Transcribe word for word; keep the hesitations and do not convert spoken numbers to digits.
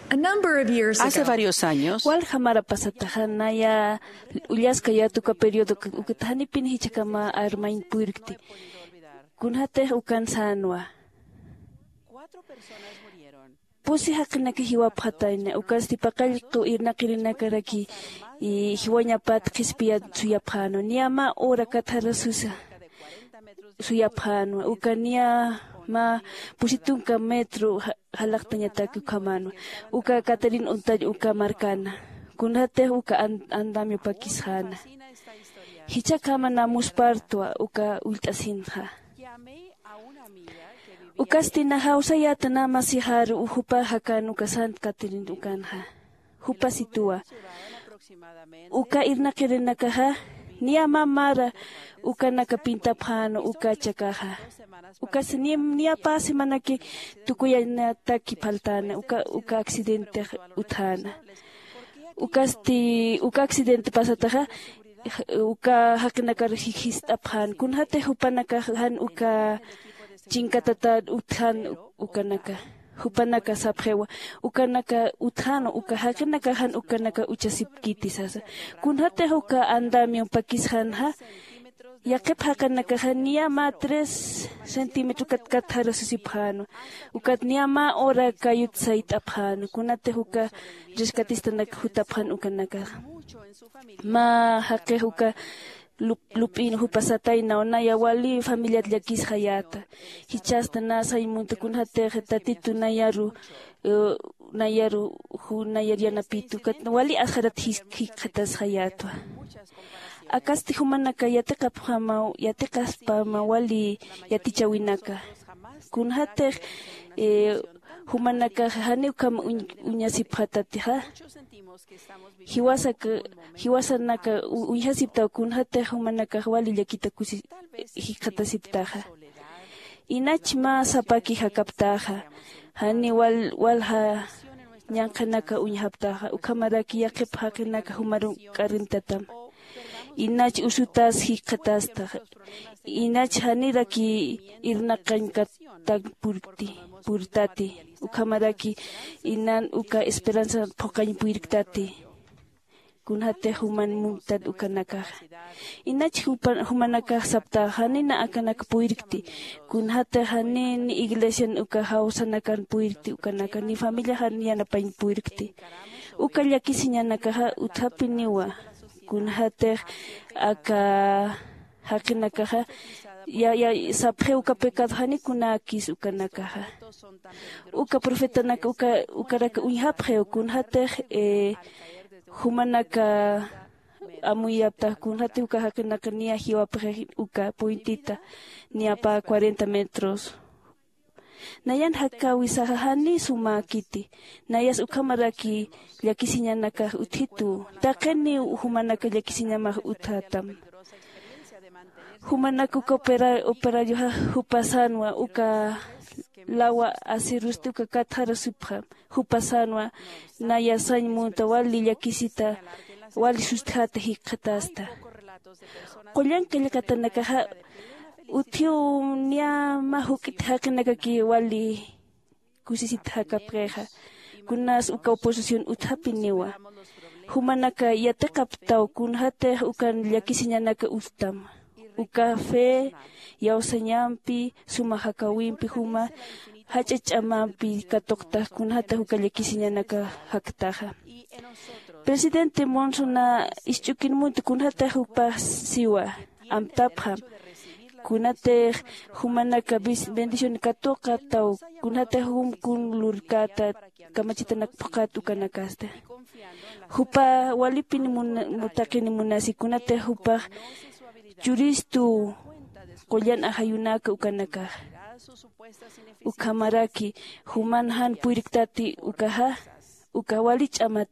A number of years Hace ago, varios años, walja mara pasataxa naya ullaskayät uka periodo ukata janipin jichhakama armañ purkti. Kunjatix ukan sänwa. Pusi jaqinak jiwapxatayna ukasti paqallqu irnaqirinakaraki jiwañapat qhispiyat suyapxänwa niya mä hora katharasusa suyapxänwa uka niya mä pusi tunka metro jalaqtañatak ukhamänwa. Uka caterin untall uka markana kunjatix uka andamio pakisxäna. Jichhakhama namuspartwa uka ullt'asinxa. Ukasti na jawsayäta na masixaru jupa jakan uka sant caterin ukanxa. Jupa situwa uka irnaqirinakaxa niya mä mara ukanaka pintapxänwa uka chakaxa. Ukasti niya pä semanaki tukuyañataki phaltäna uka accidentix utjäna. Ukasti uka accidente pasataxa uka jaqinakar jist'apxän kunjatix jupanakax jan uka chinkatatat utjän ukanaka. Jupanaka sapxiwa ukanaka utjänwa uka jaqinakax jan ukanaka uchasipkiti sasa. Kunjatix uka andamion pakisxänxa yaqhip jaqinakaxa niya mä tres centímetro katjarasusipxänwa. Ukat niya mä hora kayut sayt'apxänwa kunatix uka rescatistanak jutapxän ukanakaxa. Mä jaqix uka lup'in jupa sataynaw naya wali familiat llakisxayäta. Jichhasta na sañ munta kunjatix tatitu nayaru nayaru nayar yanapitu ukat wali asxarat jikxatasxayätwa. Akasti jumanaka yatiqapxamaw yatiqaspama wali yatichäwinaka. Kunjatix jumanakax janiw ukham uñasipxatatixa. Jiwasanaka uñjasiptaw kunjatix jumanakax wali llakita kusi jikxatasiptaxa. Inach mä sapaki jakaptaxa jani walja ñanqhanaka uñjaptaxa ukhamaraki yaqhip jaqinaka jumaru k'arrintatam. Inach usutas jikxatastaxa. Inach janiraki irnaqañkatañ purtati ukhamaraki inan uka esperanza phuqañ puyirktati. Kunjatix juman munktat ukanakaxa. Inach jumanakax saptaxa janina akanak puyirkti. Kunjatix jani ni iglesian uka jawsanakan puyirkti ukanaka ni familiaxan yanapañ puyirkti. Uka llakisiñanakaxa utjapiniwa. Kunjatix aka jaqinakaxa sapxiw uka pecado janikunäkis ukanakaxa. Uka profetanak ukarak uñjapxiw kunjatix jumanaka amuyaptax kunjatix uka jaqinaka niya jiwapxix uka puentita niya pä cuarenta metros. Nayan jakäwisaxa janiy sumäkiti. Nayas ukhamaraki llakisiñanakax utjitu. Taqiniw jumanaka llakisiñamax utjätam. Jumanak uka operarioxa jupa sänwa uka lawa asirusti uka katxarasipxam. Jupa sänwa naya sañ munta wali llakisita wali sustjäta jikxatasta. Qullan qillqatanakaxa utjiw niya mä juk'it jaqinakaki wali kusisit jakapxixa. Kunas uka oposición utjapiniwa. Jumanaka yatiqaptaw kunjatix ukan llakisiñanaka utjtam. Uka fe iyawsañampi suma jakäwimpi juma jach'a ch'amampi katuqtax kunjatix uka llakisiñanaka jaktaxa. Presidente monsona isch'ukin munta kunjatix jupax siwa amtapxam. Kunatix jumanaka bendición katuqataw kunjatix jum kun lurkäta kamachitanak phuqhat ukanakasta. Jupa walipin taqini munasi kunatix jupax churistu qullan ajayunaka ukanakaxa. Ukhamaraki juman jan puyirktati ukaxa uka wali ch'amat